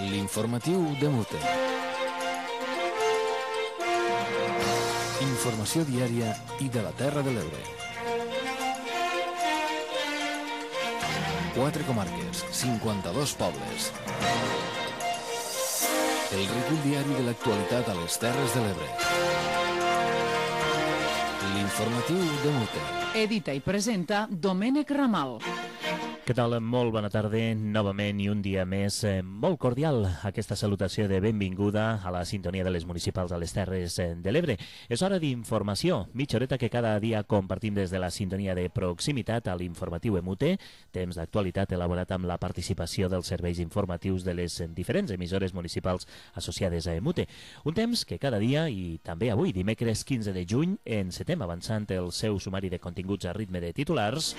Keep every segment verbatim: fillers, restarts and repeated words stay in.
L'informatiu de Mute. Informació diària i de la Terra de l'Ebre. Quatre comarques, cinquanta-dos pobles. El recull diari de l'actualitat a les Terres de l'Ebre. L'informatiu de Mute. Edita i presenta Domènec Ramal. Què tal? Molt bona tarda, novament i un dia més eh, molt cordial. Aquesta salutació de benvinguda a la sintonia de les municipals a les Terres de l'Ebre. És hora d'informació, mitja horeta que cada dia compartim des de la sintonia de proximitat a l'informatiu E M U T E, temps d'actualitat elaborat amb la participació dels serveis informatius de les diferents emissores municipals associades a E M U T E. Un temps que cada dia, i també avui, dimecres quinze de juny, encetem avançant el seu sumari de continguts a ritme de titulars,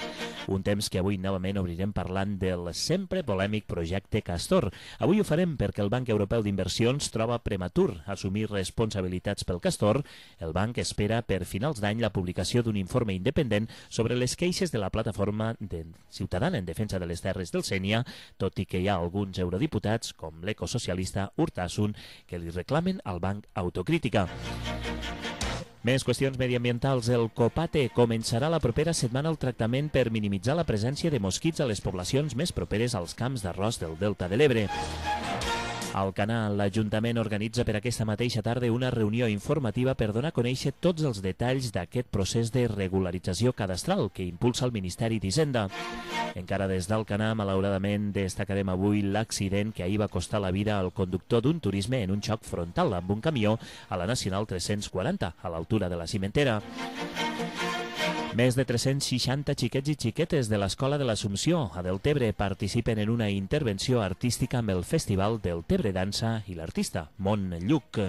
un temps que avui novament obrirem parlant del sempre polèmic projecte Castor. Avui ho farem perquè el Banc Europeu d'Inversions troba prematur assumir responsabilitats pel Castor. El banc espera per finals d'any la publicació d'un informe independent sobre les queixes de la plataforma de ciutadana en defensa de les terres del Sénia, tot i que hi ha alguns eurodiputats, com l'ecosocialista Urtasun, que li reclamen al banc autocrítica. Més qüestions mediambientals. El COPATE començarà la propera setmana el tractament per minimitzar la presència de mosquits a les poblacions més properes als camps d'arròs del Delta de l'Ebre. Al Canal, l'Ajuntament organitza per aquesta mateixa tarda una reunió informativa per donar a conèixer tots els detalls d'aquest procés de regularització cadastral que impulsa el Ministeri d'Hisenda. Encara des d'Alcanar, malauradament, destacarem avui l'accident que ahir va costar la vida al conductor d'un turisme en un xoc frontal amb un camió a la Nacional tres-cents quaranta, a l'altura de la Cimentera. Més de tres-cents seixanta xiquets i xiquetes de l'Escola de l'Assumpció a Deltebre participen en una intervenció artística amb el Festival Deltebre Dansa i l'artista Mont Lluc.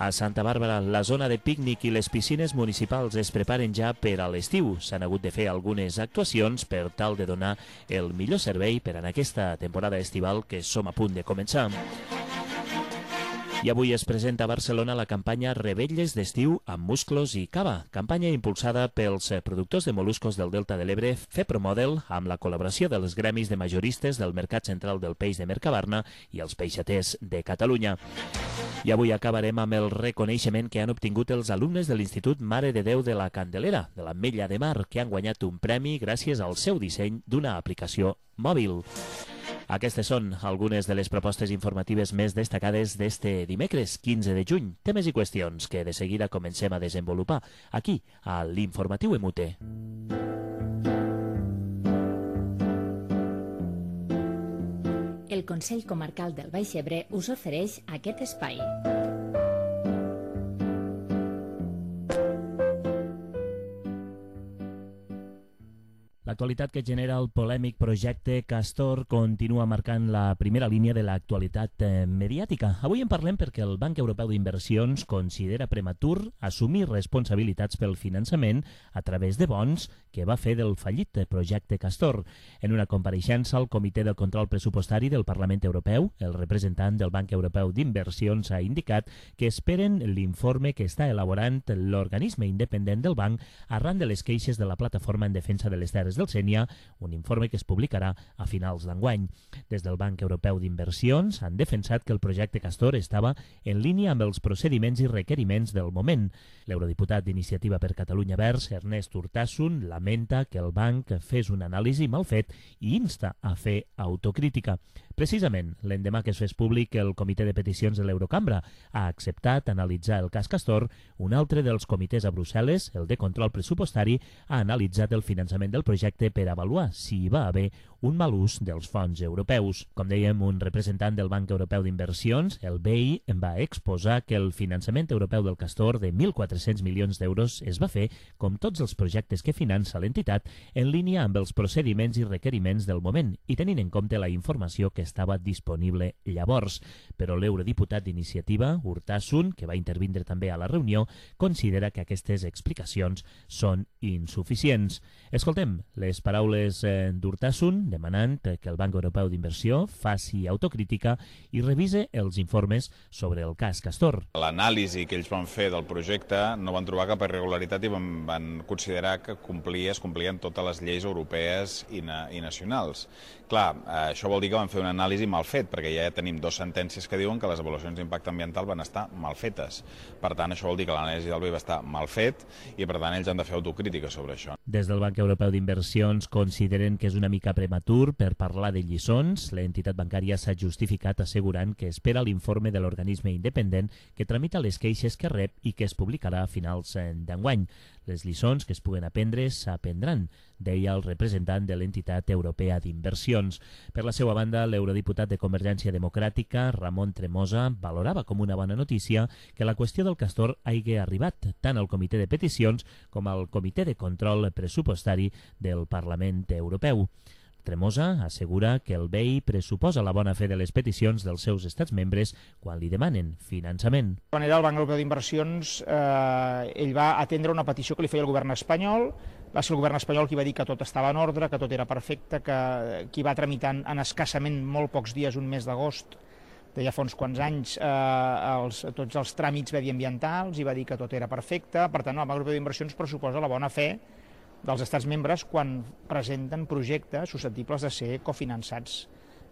A Santa Bàrbara, la zona de pícnic i les piscines municipals es preparen ja per a l'estiu. S'han hagut de fer algunes actuacions per tal de donar el millor servei per en aquesta temporada estival que som a punt de començar. I avui es presenta a Barcelona la campanya Revetlles d'estiu amb musclos i cava, campanya impulsada pels productors de moluscos del Delta de l'Ebre, FEPROMODEL, amb la col·laboració dels gremis de majoristes del Mercat Central del Peix de Mercabarna i els peixaters de Catalunya. I avui acabarem amb el reconeixement que han obtingut els alumnes de l'Institut Mare de Déu de la Candelera, de l'Ametlla de Mar, que han guanyat un premi gràcies al seu disseny d'una aplicació mòbil. Aquestes són algunes de les propostes informatives més destacades d'este dimecres, quinze de juny. Temes i qüestions que de seguida comencem a desenvolupar aquí, a l'Informatiu E M U T E. El Consell Comarcal del Baix Ebre us ofereix aquest espai. L'actualitat que genera el polèmic projecte Castor continua marcant la primera línia de l'actualitat mediàtica. Avui en parlem perquè el Banc Europeu d'Inversions considera prematur assumir responsabilitats pel finançament a través de bons que va fer del fallit projecte Castor. En una compareixença al Comitè de Control Pressupostari del Parlament Europeu, el representant del Banc Europeu d'Inversions ha indicat que esperen l'informe que està elaborant l'organisme independent del banc arran de les queixes de la Plataforma en Defensa de les Terres del Sénia, un informe que es publicarà a finals d'enguany. Des del Banc Europeu d'Inversions han defensat que el projecte Castor estava en línia amb els procediments i requeriments del moment. L'eurodiputat d'Iniciativa per Catalunya Verds, Ernest Urtasun, lamenta que el banc fes una anàlisi mal fet i insta a fer autocrítica. Precisament, l'endemà que es fes públic el Comitè de Peticions de l'Eurocambra ha acceptat analitzar el cas Castor, un altre dels comitès a Brussel·les, el de Control Pressupostari, ha analitzat el finançament del projecte per avaluar si hi va haver un mal ús dels fons europeus. Com dèiem, un representant del Banc Europeu d'Inversions, el B I, va exposar que el finançament europeu del Castor de mil quatre-cents milions d'euros es va fer, com tots els projectes que finança l'entitat, en línia amb els procediments i requeriments del moment i tenint en compte la informació que estava disponible llavors. Però l'eurodiputat d'Iniciativa, Urtasun, que va intervindre també a la reunió, considera que aquestes explicacions són insuficients. Escoltem les paraules d'Urtasun demanant que el Banc Europeu d'Inversió faci autocrítica i revise els informes sobre el cas Castor. L'anàlisi que ells van fer del projecte no van trobar cap irregularitat i van, van considerar que complia, es complien totes les lleis europees i, na, i nacionals. Clar, això vol dir que van fer una l'anàlisi mal fet, perquè ja tenim dues sentències que diuen que les avaluacions d'impacte ambiental van estar mal fetes. Per tant, això vol dir que l'anàlisi del B E I va estar mal fet i, per tant, ells han de fer autocrítica sobre això. Des del Banc Europeu d'Inversions consideren que és una mica prematur per parlar de lliçons. L'entitat bancària s'ha justificat assegurant que espera l'informe de l'organisme independent que tramita les queixes que rep i que es publicarà a finals d'enguany. Les lliçons que es puguen aprendre s'aprendran, deia el representant de l'entitat europea d'inversions. Per la seva banda, l'eurodiputat de Convergència Democràtica, Ramon Tremosa, valorava com una bona notícia que la qüestió del castor hagi arribat tant al Comitè de Peticions com al Comitè de Control Pressupostari del Parlament Europeu. Tremosa assegura que el B E I pressuposa la bona fe de les peticions dels seus estats membres quan li demanen finançament. De manera, el Banc Europeu d'Inversions eh, ell va atendre una petició que li feia el govern espanyol. Va ser el govern espanyol qui va dir que tot estava en ordre, que tot era perfecte, que qui va tramitant en escassament molt pocs dies, un mes d'agost, de ja fa uns quants anys, eh, els, tots els tràmits mediambientals, i va dir que tot era perfecte. Per tant, el Banc Europeu d'Inversions pressuposa la bona fe dels estats membres quan presenten projectes susceptibles de ser cofinançats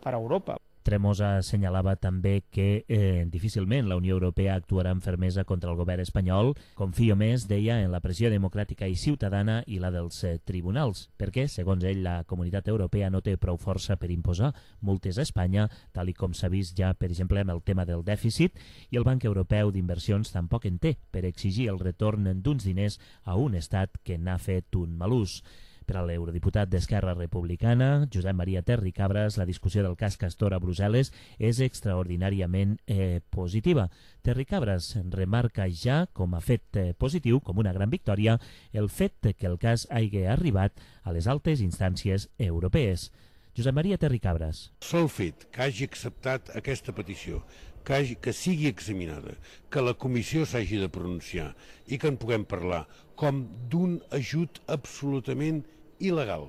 per Europa. Tremosa assenyalava també que eh, difícilment la Unió Europea actuarà amb fermesa contra el govern espanyol. Confio més, deia, en la pressió democràtica i ciutadana i la dels eh, tribunals, perquè, segons ell, la comunitat europea no té prou força per imposar multes a Espanya, tal i com s'ha vist ja, per exemple, amb el tema del dèficit, i el Banc Europeu d'Inversions tampoc en té per exigir el retorn d'uns diners a un estat que n'ha fet un mal ús. Per a l'eurodiputat d'Esquerra Republicana, Josep Maria Terricabras, la discussió del cas Castor a Brussel·les és extraordinàriament eh, positiva. Terricabras remarca ja com a fet eh, positiu, com una gran victòria, el fet que el cas hagi arribat a les altes instàncies europees. Josep Maria Terricabras. Sol fet que hagi acceptat aquesta petició, que, hagi, que sigui examinada, que la comissió s'hagi de pronunciar i que en puguem parlar com d'un ajut absolutament il·legal,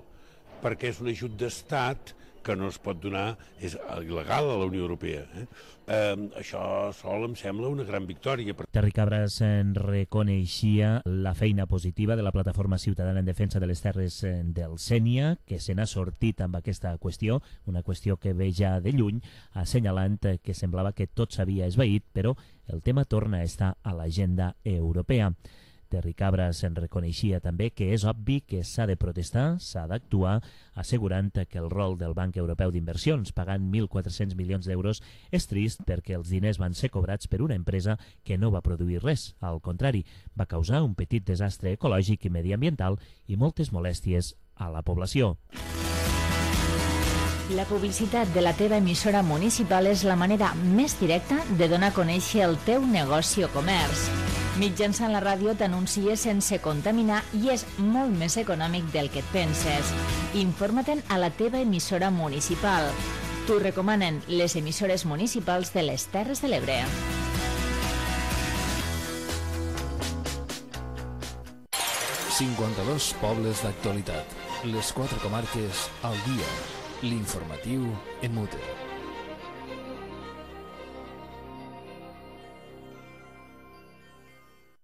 perquè és un ajut d'estat que no es pot donar, és il·legal a la Unió Europea. Eh? Eh, això sol em sembla una gran victòria. Terricabras en reconeixia la feina positiva de la Plataforma Ciutadana en Defensa de les Terres del Sénia, que se n'ha sortit amb aquesta qüestió, una qüestió que ve ja de lluny, assenyalant que semblava que tot s'havia esvaït, però el tema torna a estar a l'agenda europea. Terricabras en reconeixia també que és obvi que s'ha de protestar, s'ha d'actuar, assegurant que el rol del Banc Europeu d'Inversions, pagant mil quatre-cents milions d'euros, és trist perquè els diners van ser cobrats per una empresa que no va produir res. Al contrari, va causar un petit desastre ecològic i mediambiental i moltes molèsties a la població. La publicitat de la teva emissora municipal és la manera més directa de donar a conèixer el teu negoci o comerç. Mitjançant la ràdio t'anuncies sense contaminar i és molt més econòmic del que et penses. Informa-te'n a la teva emissora municipal. T'ho recomanen les emissores municipals de les Terres de l'Ebre. cinquanta-dos pobles d'actualitat. Les quatre comarques al dia. L'informatiu en mute.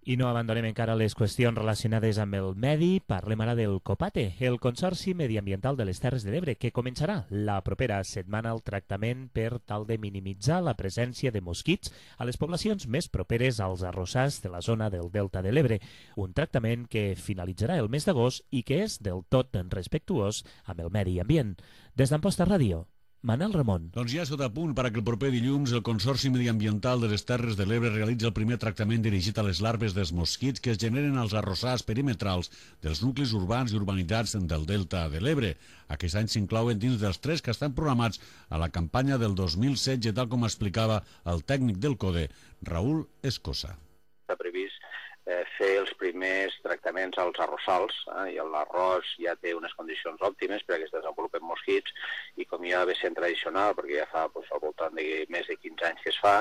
I no abandonem encara les qüestions relacionades amb el medi. Parlem ara del COPATE, el Consorci Mediambiental de les Terres de l'Ebre, que començarà la propera setmana el tractament per tal de minimitzar la presència de mosquits a les poblacions més properes als arrossars de la zona del Delta de l'Ebre. Un tractament que finalitzarà el mes d'agost i que és del tot respectuós amb el medi ambient. Des d'Amposta Ràdio, Manel Ramon. Doncs ja sota punt perquè el proper dilluns el Consorci Mediambiental de les Terres de l'Ebre realitza el primer tractament dirigit a les larves dels mosquits que es generen als arrossars perimetrals dels nuclis urbans i urbanitzats del Delta de l'Ebre. Aquest any s'inclouen dins dels tres que estan programats a la campanya del dos mil setze, tal com explicava el tècnic del CODE, Raül Escosa. Està previst eh, fer els primers tractaments als arrossals, eh, i l'arròs ja té unes condicions òptimes perquè es desenvolupen mosquits i com ja ve sent tradicional, perquè ja fa doncs, al voltant de més de quinze anys que es fa,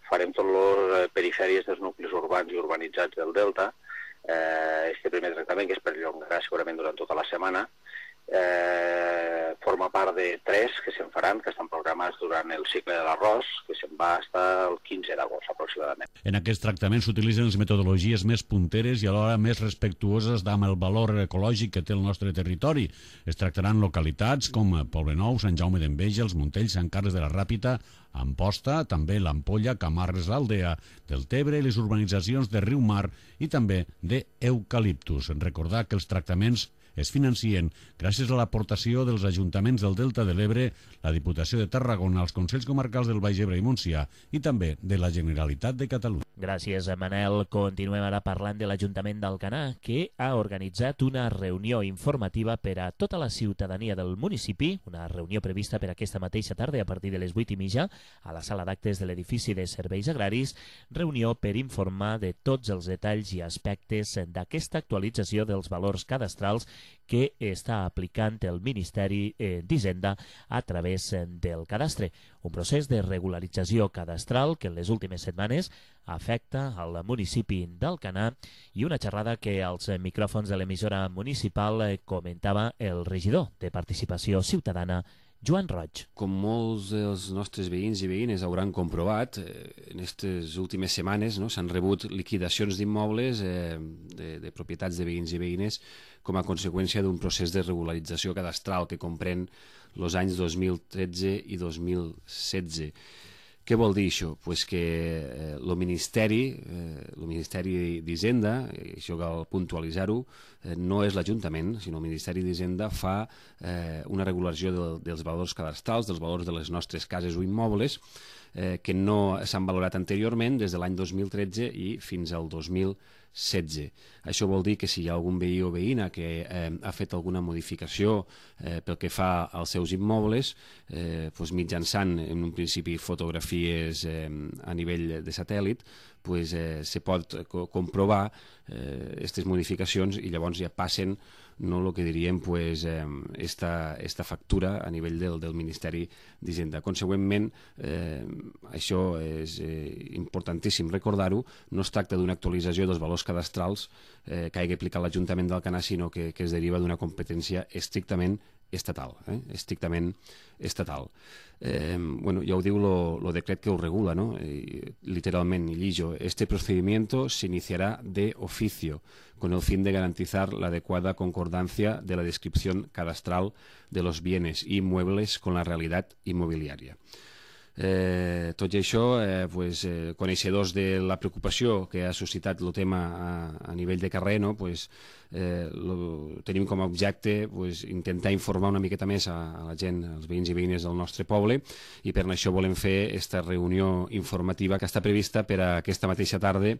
farem tot les perifèries dels nuclis urbans i urbanitzats del Delta. Eh, este primer tractament, que es perllongarà segurament durant tota la setmana, eh, forma part de tres que se'n faran, que estan programats durant el cicle de l'arròs, que se'n va estar el quinze d'agost aproximadament. En aquest tractament s'utilitzen les metodologies més punteres i alhora més respectuoses amb el valor ecològic que té el nostre territori. Es tractaran localitats com Poblenou, Sant Jaume d'Enveja, els Montells, Sant Carles de la Ràpita, Amposta, també l'Ampolla, Camarles, l'Aldea del Tebre i les urbanitzacions de Riumar i també d'Eucaliptus. Recordar que els tractaments es financien gràcies a l'aportació dels ajuntaments del Delta de l'Ebre, la Diputació de Tarragona, els Consells Comarcals del Baix Ebre i Montsià i també de la Generalitat de Catalunya. Gràcies, Manel. Continuem ara parlant de l'Ajuntament d'Alcanar, que ha organitzat una reunió informativa per a tota la ciutadania del municipi, una reunió prevista per aquesta mateixa tarda a partir de les vuit i mitja a la sala d'actes de l'edifici de Serveis Agraris, reunió per informar de tots els detalls i aspectes d'aquesta actualització dels valors cadastrals que està aplicant el Ministeri d'Hisenda a través del cadastre. Un procés de regularització cadastral que en les últimes setmanes afecta al municipi d'Alcanar i una xerrada que als micròfons de l'emissora municipal comentava el regidor de Participació Ciutadana, Joan Roig. Com molts dels nostres veïns i veïnes hauran comprovat, eh, en aquestes últimes setmanes no, s'han rebut liquidacions d'immobles eh, de, de propietats de veïns i veïnes com a conseqüència d'un procés de regularització cadastral que comprèn els anys dos mil tretze i dos mil setze. Què vol dir això? Pues que eh, el Ministeri, eh, el Ministeri d'Hisenda, i això cal puntualitzar-ho, eh, no és l'Ajuntament, sinó el Ministeri d'Hisenda fa eh, una regulació de, dels valors cadastrals, dels valors de les nostres cases o immobles, eh, que no s'han valorat anteriorment des de l'any dos mil tretze i fins al dos mil setze. Això vol dir que si hi ha algun veí o veïna que eh, ha fet alguna modificació eh, pel que fa als seus immobles, eh, doncs mitjançant en un principi fotografies eh, a nivell de satèl·lit, pues, eh, se pot co comprovar aquestes eh, modificacions i llavors ja passen no el que diríem pues, eh, esta, esta factura a nivell del, del Ministeri d'Hisenda. Consegüentment, eh, això és eh, importantíssim recordar-ho, no es tracta d'una actualització dels valors cadastrals eh, que hagi aplicat l'Ajuntament d'Alcanar, sinó que, que es deriva d'una competència estrictament estatal, eh? estrictament estatal. Eh, bueno, ya os digo lo, lo decreto que os regula, ¿no? Eh, literalmente, lillo, este procedimiento se iniciará de oficio con el fin de garantizar la adecuada concordancia de la descripción cadastral de los bienes inmuebles con la realidad inmobiliaria. Eh, tot i això, eh, pues, eh, coneixedors de la preocupació que ha suscitat el tema a, a nivell de carrer, no? pues, eh, lo, tenim com a objecte pues, intentar informar una miqueta més a, a la gent, als veïns i veïnes del nostre poble, i per això volem fer aquesta reunió informativa que està prevista per a aquesta mateixa tarda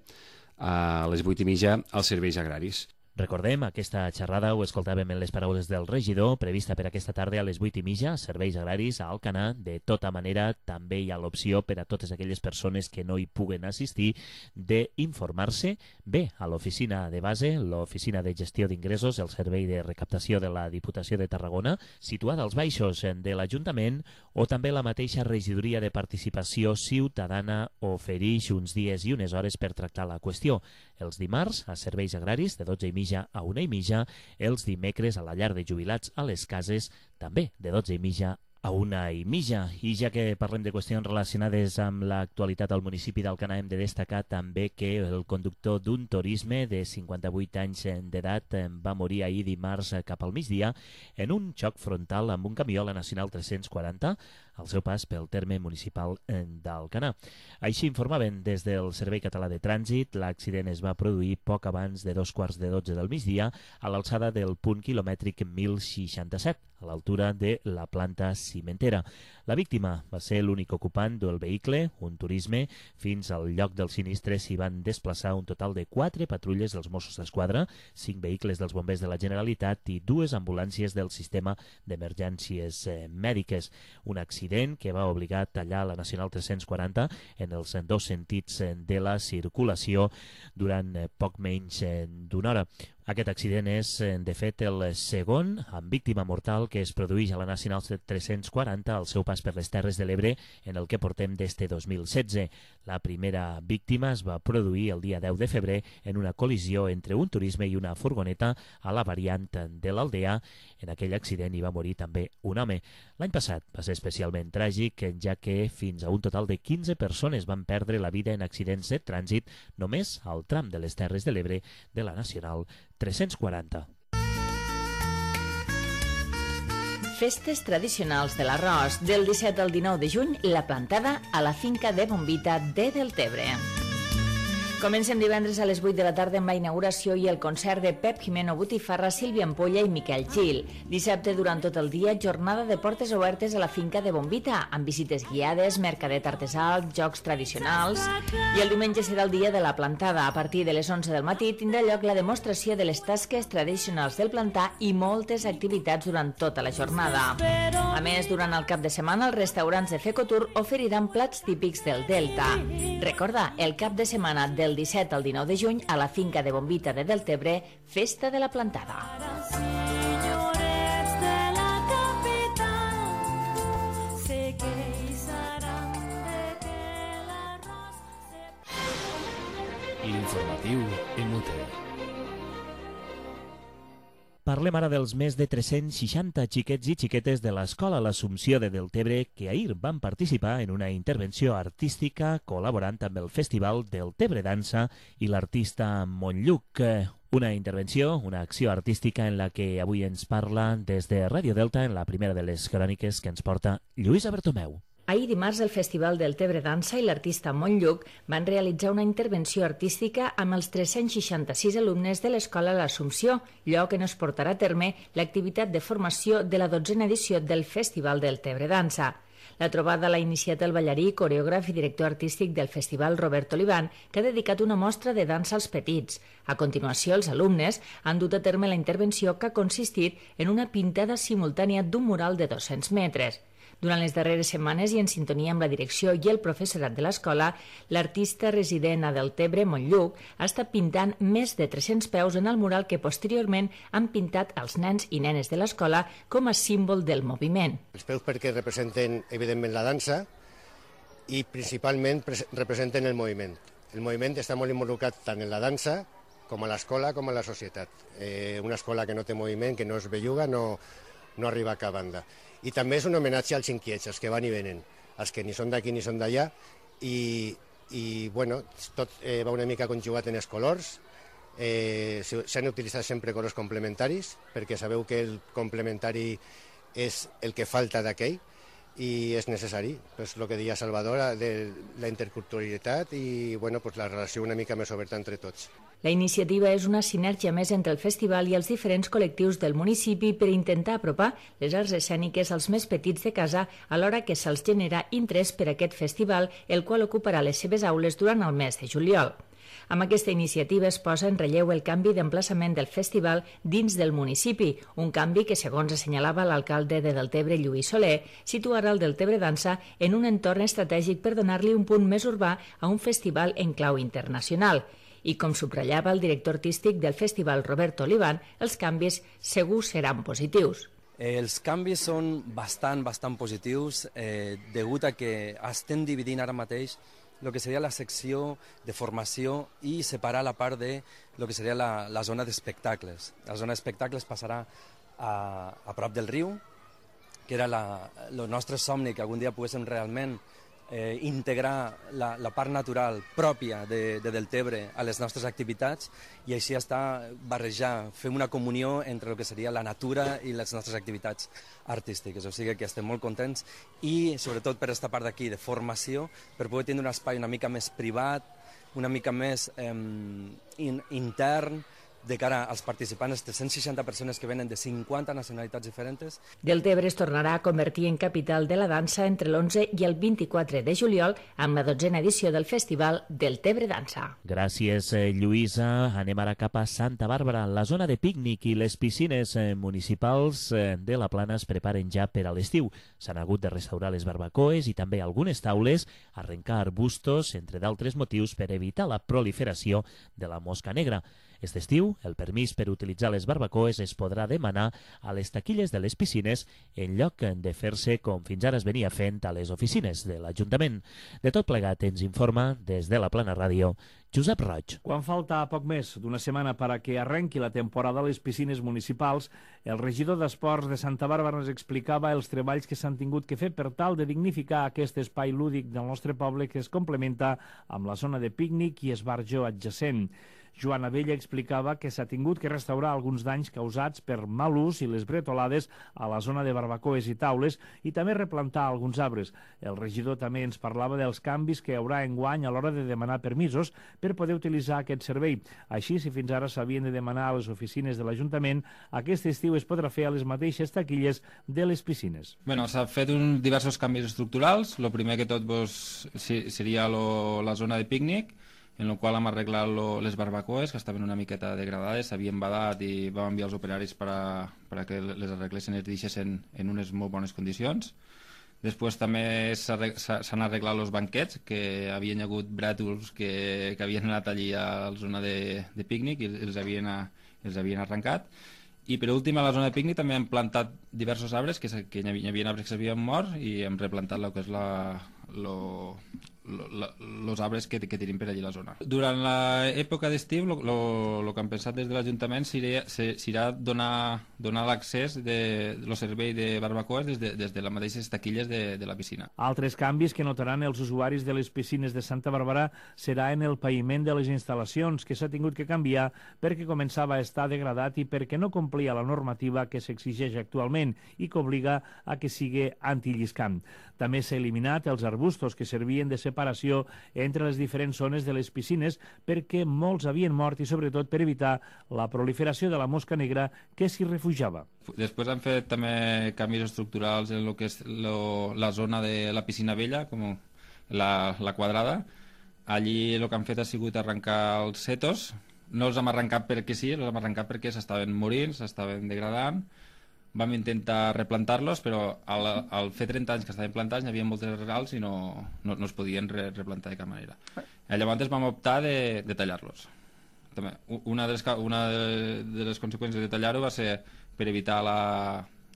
a les vuit i mitja als Serveis Agraris. Recordem, aquesta xerrada ho escoltàvem en les paraules del regidor, prevista per aquesta tarda a les vuit i mitja, Serveis Agraris a Alcanar. De tota manera, també hi ha l'opció per a totes aquelles persones que no hi puguen assistir d'informar-se bé a l'oficina de base, l'oficina de gestió d'ingressos, el servei de recaptació de la Diputació de Tarragona, situada als baixos de l'Ajuntament, o també la mateixa regidoria de Participació Ciutadana ofereix uns dies i unes hores per tractar la qüestió. Els dimarts, a Serveis Agraris, de dotze i mitja a una i mitja, els dimecres a la llar de jubilats a les cases, també de dotze i mitja a una i mitja. I ja que parlem de qüestions relacionades amb l'actualitat al municipi d'Alcanar, hem de destacar també que el conductor d'un turisme de cinquanta-vuit anys d'edat va morir ahir dimarts cap al migdia en un xoc frontal amb un camió a la Nacional tres-cents quaranta al seu pas pel terme municipal d'Alcanar. Així informaven des del Servei Català de Trànsit. L'accident es va produir poc abans de dos quarts de dotze del migdia a l'alçada del punt quilomètric mil seixanta-set, a l'altura de la planta cimentera. La víctima va ser l'únic ocupant del vehicle, un turisme. Fins al lloc del sinistre s'hi van desplaçar un total de quatre patrulles dels Mossos d'Esquadra, cinc vehicles dels bombers de la Generalitat i dues ambulàncies del sistema d'emergències eh, mèdiques. Un accident que va obligar a tallar la Nacional tres-cents quaranta en els dos sentits de la circulació durant eh, poc menys eh, d'una hora. Aquest accident és, de fet, el segon amb víctima mortal que es produeix a la Nacional tres-cents quaranta al seu pas per les Terres de l'Ebre en el que portem des de dos mil setze. La primera víctima es va produir el dia deu de febrer en una col·lisió entre un turisme i una furgoneta a la variant de l'Aldea. En aquell accident hi va morir també un home. L'any passat va ser especialment tràgic, ja que fins a un total de quinze persones van perdre la vida en accidents de trànsit només al tram de les Terres de l'Ebre de la Nacional tres-cents quaranta. Festes tradicionals de l'arròs. Del disset al dinou de juny, la plantada a la finca de Bombita de Deltebre. Comencem divendres a les vuit de la tarda amb la inauguració i el concert de Pep Jimeno Botifarra, Sílvia Ampolla i Miquel Gil. Dissabte, durant tot el dia, jornada de portes obertes a la finca de Bombita, amb visites guiades, mercadet artesà, jocs tradicionals. I el diumenge serà el dia de la plantada. A partir de les onze del matí tindrà lloc la demostració de les tasques tradicionals del plantar i moltes activitats durant tota la jornada. A més, durant el cap de setmana, els restaurants de Fecotur oferiran plats típics del Delta. Recorda, el cap de setmana del disset al dinou de juny a la finca de Bombita de Deltebre, Festa de la Plantada. L'informatiu M U T. Parlem ara dels més de tres-cents seixanta xiquets i xiquetes de l'Escola L'Assumpció de Deltebre que ahir van participar en una intervenció artística col·laborant amb el Festival Deltebre Dansa i l'artista Montlluc. Una intervenció, una acció artística en la que avui ens parla des de Ràdio Delta en la primera de les cròniques que ens porta Lluïsa Bertomeu. Ahir dimarts el Festival Deltebre Dansa i l'artista Montlluc van realitzar una intervenció artística amb els tres-cents seixanta-sis alumnes de l'Escola L'Assumpció, lloc on es portarà a terme l'activitat de formació de la dotzena edició del Festival Deltebre Dansa. La trobada l'ha iniciat el ballarí, coreògraf i director artístic del festival Robert Olivan, que ha dedicat una mostra de dansa als petits. A continuació, els alumnes han dut a terme la intervenció que ha consistit en una pintada simultània d'un mural de dos-cents metres. Durant les darreres setmanes i en sintonia amb la direcció i el professorat de l'escola, l'artista resident a Deltebre, Montlluc, ha estat pintant més de tres-cents peus en el mural que posteriorment han pintat els nens i nenes de l'escola com a símbol del moviment. Els peus perquè representen, evidentment, la dansa i principalment representen el moviment. El moviment està molt involucrat tant en la dansa com a l'escola com a la societat. Eh, una escola que no té moviment, que no es belluga, no, no arriba a cap banda. I també és un homenatge als inquiets, els que van i venen, els que ni són d'aquí ni són d'allà, i, i bueno, tot eh, va una mica conjugat en els colors. Eh, s'han utilitzat sempre colors complementaris, perquè sabeu que el complementari és el que falta d'aquell, i és necessari, pues, el que deia Salvador, de la interculturalitat i bueno, pues, la relació una mica més oberta entre tots. La iniciativa és una sinergia més entre el festival i els diferents col·lectius del municipi per intentar apropar les arts escèniques als més petits de casa alhora que se'ls genera interès per aquest festival, el qual ocuparà les seves aules durant el mes de juliol. Amb aquesta iniciativa es posa en relleu el canvi d'emplaçament del festival dins del municipi, un canvi que, segons assenyalava l'alcalde de Deltebre, Lluís Soler, situarà el Deltebre Dansa en un entorn estratègic per donar-li un punt més urbà a un festival en clau internacional. I com subratllava el director artístic del festival, Robert Olivan, els canvis segur seran positius. Eh, els canvis són bastant, bastant positius, eh, degut a que estem dividint ara mateix el que seria la secció de formació i separar la part de lo que seria la, la zona d'espectacles. La zona d'espectacles passarà a, a prop del riu, que era la, el nostre somni, que algun dia poguéssim realment eh, integrar la, la part natural pròpia de, de Deltebre a les nostres activitats i així està barrejar, fem una comunió entre el que seria la natura i les nostres activitats artístiques. O sigui que estem molt contents i sobretot per aquesta part d'aquí de formació, per poder tenir un espai una mica més privat, una mica més eh, in, intern, de cara als participants, tres-cents seixanta persones que venen de cinquanta nacionalitats diferents. Deltebre es tornarà a convertir en capital de la dansa entre l'onze i el vint-i-quatre de juliol amb la dotzena edició del Festival Deltebre Dansa. Gràcies, Lluïsa. Anem ara cap a Santa Bàrbara. La zona de pícnic i les piscines municipals de la Plana es preparen ja per a l'estiu. S'han hagut de restaurar les barbacoes i també algunes taules, arrencar arbustos, entre d'altres motius, per evitar la proliferació de la mosca negra. Aquest estiu, el permís per utilitzar les barbacoes es podrà demanar a les taquilles de les piscines en lloc de fer-se com fins ara es venia fent a les oficines de l'Ajuntament. De tot plegat ens informa des de la Plana Ràdio Josep Roig. Quan falta poc més d'una setmana per a que arrenqui la temporada a les piscines municipals, el regidor d'Esports de Santa Bàrbara ens explicava els treballs que s'han tingut que fer per tal de dignificar aquest espai lúdic del nostre poble que es complementa amb la zona de pícnic i esbarjo adjacent. Joan Abella explicava que s'ha tingut que restaurar alguns danys causats per mal ús i les bretolades a la zona de barbacoes i taules i també replantar alguns arbres. El regidor també ens parlava dels canvis que hi haurà enguany a l'hora de demanar permisos per poder utilitzar aquest servei. Així, si fins ara s'havien de demanar a les oficines de l'Ajuntament, aquest estiu es podrà fer a les mateixes taquilles de les piscines. Bueno, s'ha fet un, diversos canvis estructurals. El primer que tot pues, seria lo, la zona de pícnic, en la qual hem arreglat lo, les barbacoes, que estaven una miqueta degradades, s'havien badat i vam enviar els operaris per a, per a que les arreglessin i es deixessin en unes molt bones condicions. Després també s'han arreglat els banquets, que havien hagut brètols que, que havien anat allí a la zona de, de pícnic i els havien, els havien arrencat. I per últim, a la zona de pícnic també hem plantat diversos arbres, que, que hi havia arbres que s'havien mort i hem replantat el que és la... Lo, els arbres que, que tenim per allí a la zona. Durant l'època d'estiu, el que hem pensat des de l'Ajuntament serà donar, donar l'accés del servei de barbacoes des de, des de les mateixes taquilles de, de la piscina. Altres canvis que notaran els usuaris de les piscines de Santa Bàrbara serà en el paviment de les instal·lacions, que s'ha tingut que canviar perquè començava a estar degradat i perquè no complia la normativa que s'exigeix actualment i que obliga a que sigui antilliscant. També s'ha eliminat els arbustos que servien de separació entre les diferents zones de les piscines perquè molts havien mort i sobretot per evitar la proliferació de la mosca negra que s'hi refugiava. Després han fet també canvis estructurals en lo que és lo, la zona de la piscina vella, com la, la quadrada. Allí el que han fet ha sigut arrencar els setos. No els hem arrencat perquè sí, els hem arrencat perquè s'estaven morint, s'estaven degradant. Vam intentar replantar-los, però al, al fer trenta anys que estaven plantats n'hi havia moltes arrels i no, no, no es podien re, replantar de cap manera. I llavors vam optar de, de tallar-los. També, una, de les, una de les conseqüències de tallar-ho va ser per evitar la,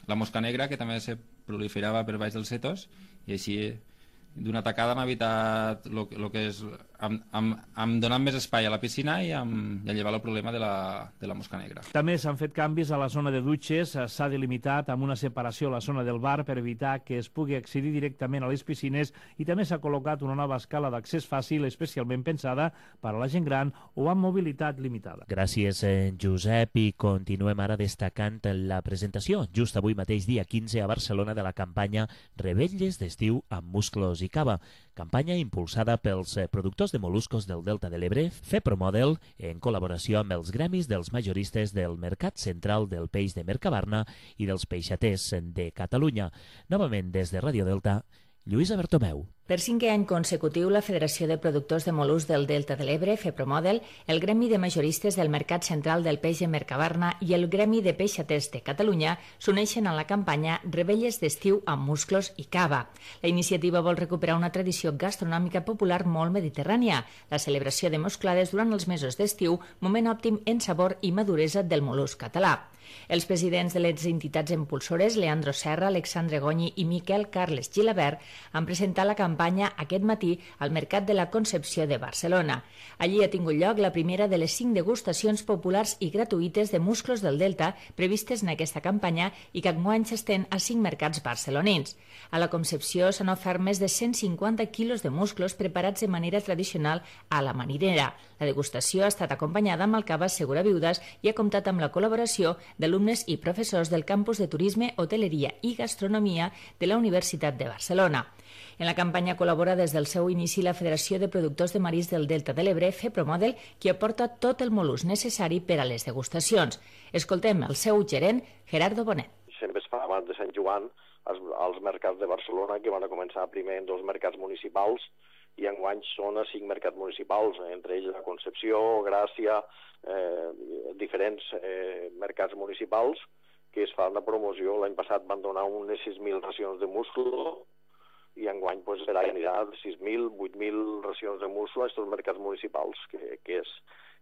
la mosca negra, que també se proliferava per baix dels setos, i així d'una tacada hem evitat el que és... Hem, hem, hem donat més espai a la piscina i hem, hem llevat el problema de la, de la mosca negra. També s'han fet canvis a la zona de dutxes, s'ha delimitat amb una separació a la zona del bar per evitar que es pugui accedir directament a les piscines i també s'ha col·locat una nova escala d'accés fàcil especialment pensada per a la gent gran o amb mobilitat limitada. Gràcies, Josep, i continuem ara destacant la presentació just avui mateix, dia quinze, a Barcelona, de la campanya Revetlles d'estiu amb musclos i cava, campanya impulsada pels productors de moluscos del Delta de l'Ebre, FEPROMODEL, en col·laboració amb els gremis dels majoristes del Mercat Central del Peix de Mercabarna i dels peixaters de Catalunya. Novament des de Ràdio Delta, Lluïsa Bertomeu. Per cinquè any consecutiu, la Federació de Productors de Mol·luscs del Delta de l'Ebre, FEPROMODEL, el Gremi de Majoristes del Mercat Central del Peix de Mercabarna i el Gremi de Peixaters de Catalunya s'uneixen a la campanya Revetlles d'estiu amb musclos i cava. La iniciativa vol recuperar una tradició gastronòmica popular molt mediterrània, la celebració de mosclades durant els mesos d'estiu, moment òptim en sabor i maduresa del mol·lusc català. Els presidents de les entitats impulsores, Leandro Serra, Alexandre Gonyi i Miquel Carles Gilabert, han presentat la campanya aquest matí al Mercat de la Concepció de Barcelona. Allí ha tingut lloc la primera de les cinc degustacions populars i gratuïtes de musclos del Delta previstes en aquesta campanya i que enguany s'estén a cinc mercats barcelonins. A la Concepció s'han ofert més de cent cinquanta quilos de musclos preparats de manera tradicional a la marinera. La degustació ha estat acompanyada amb el cava Segura Viudes i ha comptat amb la col·laboració d'alumnes i professors del campus de Turisme, Hoteleria i Gastronomia de la Universitat de Barcelona. En la campanya col·labora des del seu inici la Federació de Productors de Marisc del Delta de l'Ebre, FEPROMODEL, qui aporta tot el mol·lusc necessari per a les degustacions. Escoltem el seu gerent, Gerardo Bonet. Sempre es fa abans de Sant Joan als, als mercats de Barcelona, que van a començar primer en dos mercats municipals, i enguany són a cinc mercats municipals, entre ells la Concepció, Gràcia, eh, diferents eh, mercats municipals que es fan la promoció. L'any passat van donar unes sis mil racions de musclo i enguany pues, serà anirà sis mil, vuit mil racions de musclo a aquests mercats municipals, que, que, és,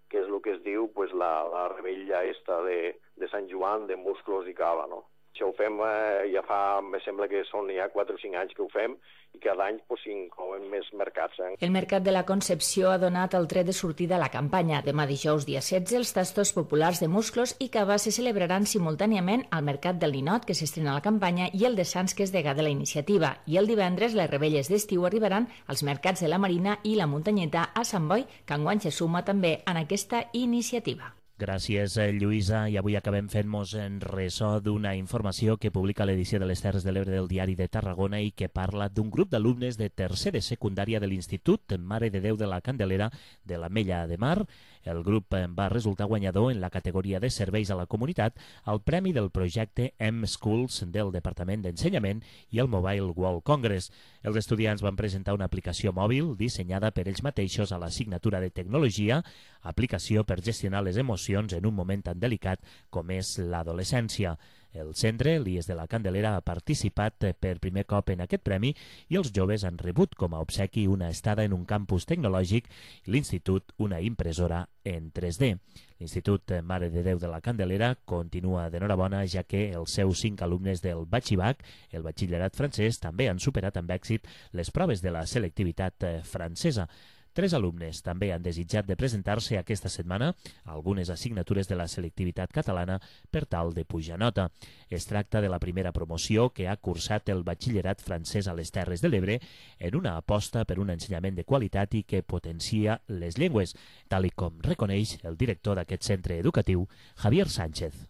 que és el que es diu pues, la, la rebella esta de, de Sant Joan, de musclos i cava, no? Això ho fem eh, ja fa, me sembla que són ja quatre o cinc anys que ho fem i cada any pues, s'inclouen més mercats. Eh? El Mercat de la Concepció ha donat el tret de sortida a la campanya. Demà dijous, dia setze, els tastos populars de musclos i cava se celebraran simultàniament al Mercat del Ninot, que s'estrena a la campanya, i el de Sants, que és degà de la iniciativa. I el divendres, les rebelles d'estiu arribaran als mercats de la Marina i la Muntanyeta a Sant Boi, que enguany se suma també en aquesta iniciativa. Gràcies, Lluïsa. I avui acabem fent-nos en ressò d'una informació que publica l'edició de les Terres de l'Ebre del Diari de Tarragona i que parla d'un grup d'alumnes de tercer de secundària de l'Institut Mare de Déu de la Candelera de l'Ametlla de Mar. El grup va resultar guanyador en la categoria de serveis a la comunitat al premi del projecte M-Schools del Departament d'Ensenyament i el Mobile World Congress. Els estudiants van presentar una aplicació mòbil dissenyada per ells mateixos a l'assignatura de Tecnologia, aplicació per gestionar les emocions en un moment tan delicat com és l'adolescència. El centre, l'I E S de la Candelera, ha participat per primer cop en aquest premi i els joves han rebut com a obsequi una estada en un campus tecnològic i l'institut una impressora en tres D. L'Institut Mare de Déu de la Candelera continua d'enhorabona, ja que els seus cinc alumnes del Batxibac, el batxillerat francès, també han superat amb èxit les proves de la selectivitat francesa. Tres alumnes també han desitjat de presentar-se aquesta setmana a algunes assignatures de la selectivitat catalana per tal de pujar nota. Es tracta de la primera promoció que ha cursat el batxillerat francès a les Terres de l'Ebre en una aposta per un ensenyament de qualitat i que potencia les llengües, tal i com reconeix el director d'aquest centre educatiu, Javier Sánchez.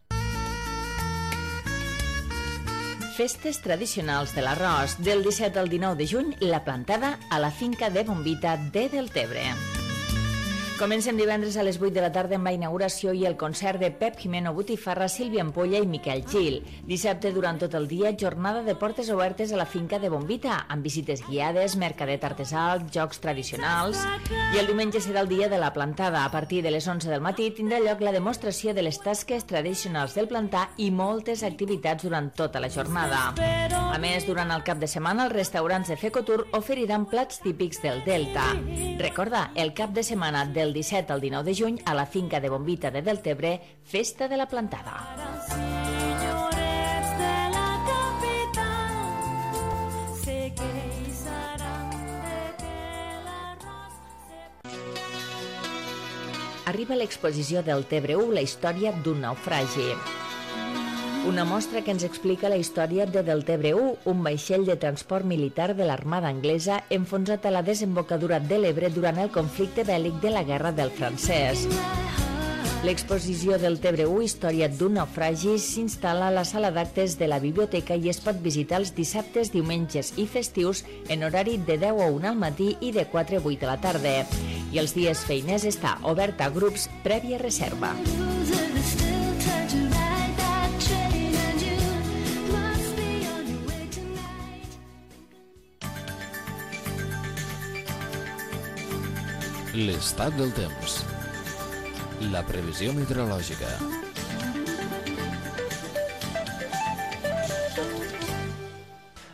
Festes tradicionals de l'arròs. Del disset al dinou de juny, la plantada a la finca de Bombita de Deltebre. Comencem divendres a les vuit de la tarda amb la inauguració i el concert de Pep Jimeno Botifarra, Sílvia Ampolla i Miquel Gil. Dissabte, durant tot el dia, jornada de portes obertes a la finca de Bombita, amb visites guiades, mercadet artesà, jocs tradicionals. I el diumenge serà el dia de la plantada. A partir de les onze del matí tindrà lloc la demostració de les tasques tradicionals del plantar i moltes activitats durant tota la jornada. A més, durant el cap de setmana, els restaurants de Fecotur oferiran plats típics del Delta. Recorda, el cap de setmana del del disset al dinou de juny a la finca de Bombita de Deltebre, Festa de la Plantada. Arriba l'exposició Deltebre u, la història d'un naufragi. Una mostra que ens explica la història de Deltebre u, un vaixell de transport militar de l'Armada anglesa enfonsat a la desembocadura de l'Ebre durant el conflicte bèl·lic de la Guerra del Francès. L'exposició Deltebre u, història d'un naufragi, s'instal·la a la sala d'actes de la biblioteca i es pot visitar els dissabtes, diumenges i festius en horari de deu a una al matí i de quatre a vuit de la tarda. I els dies feiners està obert a grups prèvia reserva. L'estat del temps. La previsió meteorològica.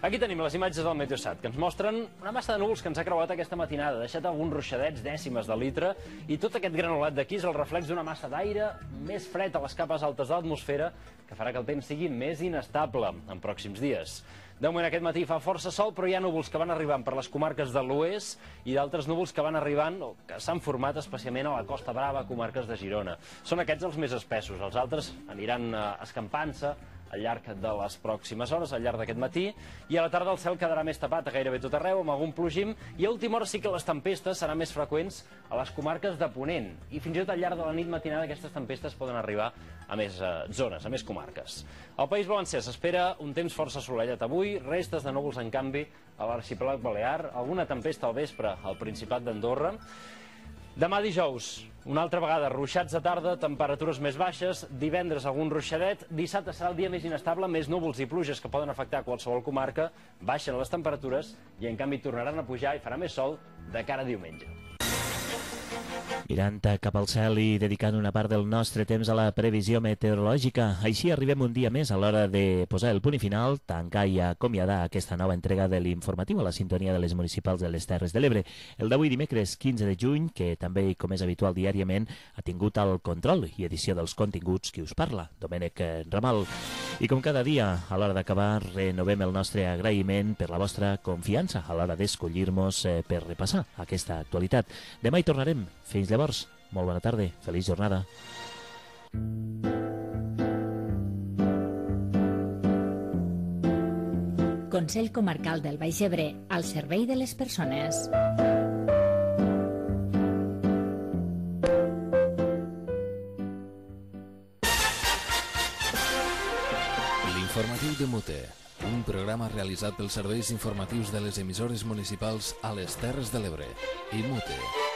Aquí tenim les imatges del Meteosat, que ens mostren una massa de núvols que ens ha creuat aquesta matinada, ha deixat alguns ruixadets, dècimes de litre, i tot aquest granulat d'aquí és el reflex d'una massa d'aire més fred a les capes altes de l'atmosfera, que farà que el temps sigui més inestable en pròxims dies. De moment aquest matí fa força sol, però hi ha núvols que van arribant per les comarques de l'oest i d'altres núvols que van arribant o que s'han format especialment a la Costa Brava, comarques de Girona. Són aquests els més espessos, els altres aniran escampant-se al llarg de les pròximes hores, al llarg d'aquest matí, i a la tarda el cel quedarà més tapat a gairebé tot arreu, amb algun plogim, i a última hora sí que les tempestes seran més freqüents a les comarques de Ponent, i fins i tot al llarg de la nit matinada aquestes tempestes poden arribar a més eh, zones, a més comarques. Al País Valencià s'espera un temps força assolellat avui, restes de núvols en canvi a l'arxipèlag balear, alguna tempesta al vespre al Principat d'Andorra. Demà dijous, una altra vegada, ruixats de tarda, temperatures més baixes, divendres algun ruixadet, dissabte serà el dia més inestable, més núvols i pluges que poden afectar qualsevol comarca, baixen les temperatures i en canvi tornaran a pujar i farà més sol de cara a diumenge. Mirant cap al cel i dedicant una part del nostre temps a la previsió meteorològica. Així arribem un dia més a l'hora de posar el punt i final, tancar i acomiadar aquesta nova entrega de l'informatiu a la sintonia de les municipals de les Terres de l'Ebre. El d'avui dimecres quinze de juny, que també, com és habitual diàriament, ha tingut el control i edició dels continguts qui us parla, Domènec Ramal. I com cada dia, a l'hora d'acabar, renovem el nostre agraïment per la vostra confiança a l'hora d'escollir-nos per repassar aquesta actualitat. Demà hi tornarem. Fins llavors, molt bona tarda, feliç jornada. Consell Comarcal del Baix Ebre, al servei de les persones. L'informatiu de Mute, un programa realitzat pels serveis informatius de les emissores municipals a les Terres de l'Ebre i Mute.